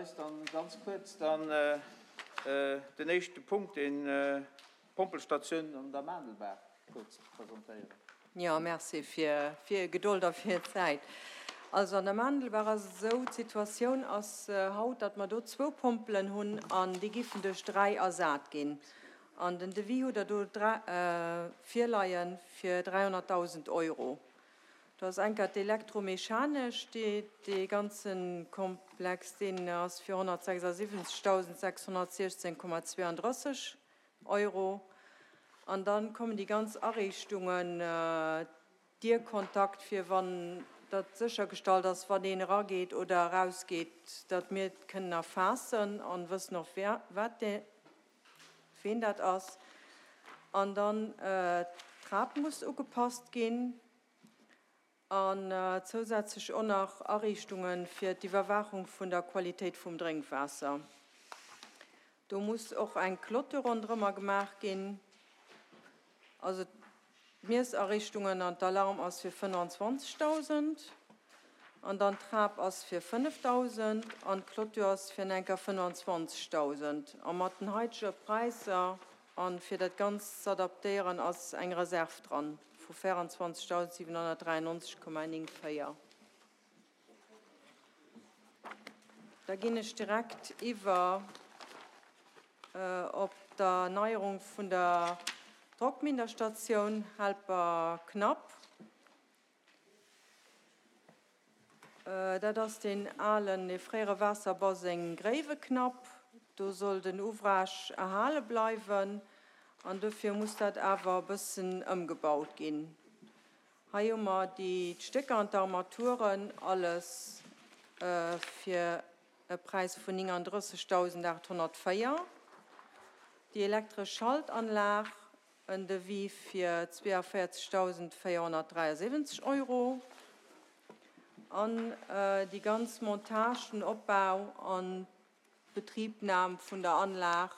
Eis dann ganz kuerz dann den éischte Punkt, den d'Pompelstatioun an der Maandelbaach kuerz presentéieren. Jo, merci fir Är Gedold a fir Är Zäit. Also an der Maandelbaach ass et esou, d'Situatioun ass haut, datt mer do zwou Pompelen hunn an déi giffen duerch 3 ersat ginn. An den Devis hutt Der do virleie fir 300.000 Euro. Do ass enker d'Elektromechanesch, déi dee ganze Komplex, deen ass fir 176.616,32 Euro. An da kommen déi ganz Ariichtungen, Dierkontakt, fir wann dat séchergestallt ass, wann een erageet oder erausgeet, datt mir et kënnen erfaassen an wëssen och, wat dee, ween dat ass. An dann d'Trap muss ugepasst ginn. An zousätzlech och nach Ariichtunge fir d'Iwwerwaachung vun der Qualitéit vum Drénkwaasser. Do muss och eng Clôture ronderëmmer gemaach ginn. Also d'Miessariichtungen an d'Alarm ass fir 25.000 an dann d'Trap ass fir 5.000 an d'Clôture ass fir enker 25.000. A mat den haitege Präisser A fir dat Ganzt z'adaptéieren ass eng Reserv dran vu 24.793,94. Da ginn ech direkt iwwer op d'Erneierung vun der Drockminderstatioun Helperknapp. Dat ass deen alen, dee fréiere Waasserbaseng Gréiweknapp. Do soll den Ouvrage erhale bleiwen an dofir muss dat awer e bëssen ëmgebaut ginn. Hei hu mer déi d'Stécker an d'Armaturen, alles fir e Präis vun 39.804. Déi elektresch Schaltanlag En Devis fir 42.473 Euro an déi ganz Montage, den Opbau an d'Betribnam vun der Anlag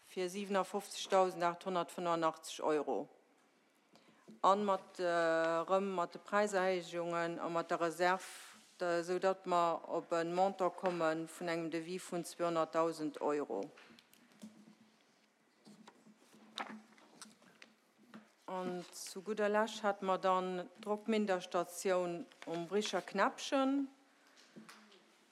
fir 57.885 Euro. A mat erëm mat de Präiserhéijungen a mat der Reserv, esou datt mer op e Montant komme vun engem Devis vun 200.000 Euro. An zu gudder Lescht hate mer dann d'Drockminderstatioun um Bricher Knäppchen.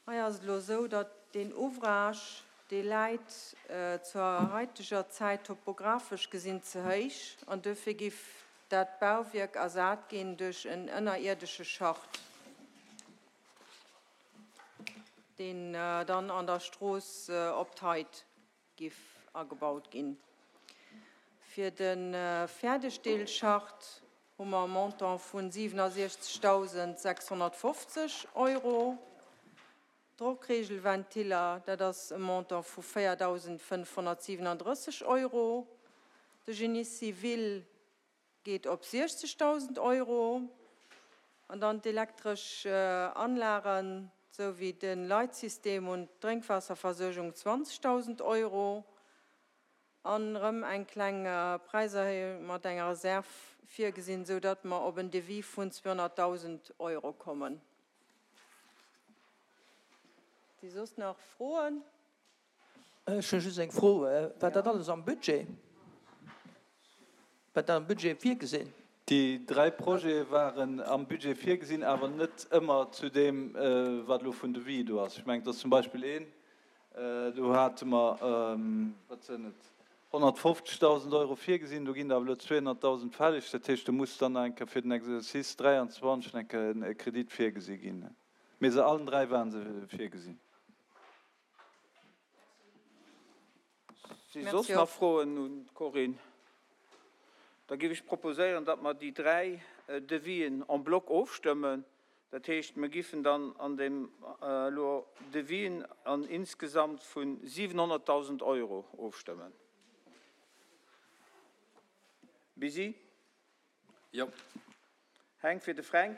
Hei ass et elo esou, datt deen Ouvrage, dee läit zur haiteger Zäit topographesch gesinn ze héich an duerfir giff dat Bauwierk ersat ginn duerch en ënnerierdesche Schacht, deen dann an der Strooss op d'Heit giff agebaut ginn. Fir de Fäerdegdeelschacht hu mer e Montant vun 67.650 Euro. D'Drockregelventiller, dat ass e Montant vu 4.537 Euro. De Génie civil geet op 60.000 Euro an dann d'elektresch Anlagen esou wéi de Leitsystem und d'Drénkwaasserversuergung 20.000 Euro an erëm eng kleng Präiserhéijung mat enger Reserv virgesinn, esou datt mer op en Devis vun 200.000 Euro kommen. Si soss nach Froen? Ech hu just eng Fro, War dat alles am Budget? War dat am Budget virgesinn? Déi dräi Projete waren am Budget virgesinn, awer net ëmmer zu deem, wat elo vun Devis do ass. Ech mengen, et ass zum Beispill een, do hate mer, wat sinn et, 150.000 Euro virgesinn, do ginn der awer elo 200.000 fälleg. Dat heescht, do muss dann nach eng Kéier fir den Exercice 23 nach eng Kéier e Kredit virgesi ginn. Mee se allen dräi ware se virgesinn. Si soss nach Froen un d'Corinne? Da géif ech proposéieren, datt mer déi dräi Devisen en bloc ofstëmmen. Dat heescht, mer giffen dann an deem elo Devisen an insgesamt vu 700.000 Euro ofstëmmen. Bisi? Jo. Heng fir de Fränk.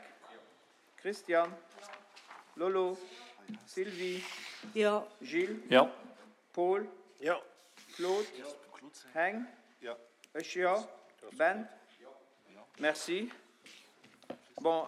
Christian. Lolo. Sylvie. Jo. Gilles. Jo. Paul. Jo. Claude. Heng. Jo. Ech jo. Ben. Merci. Bon.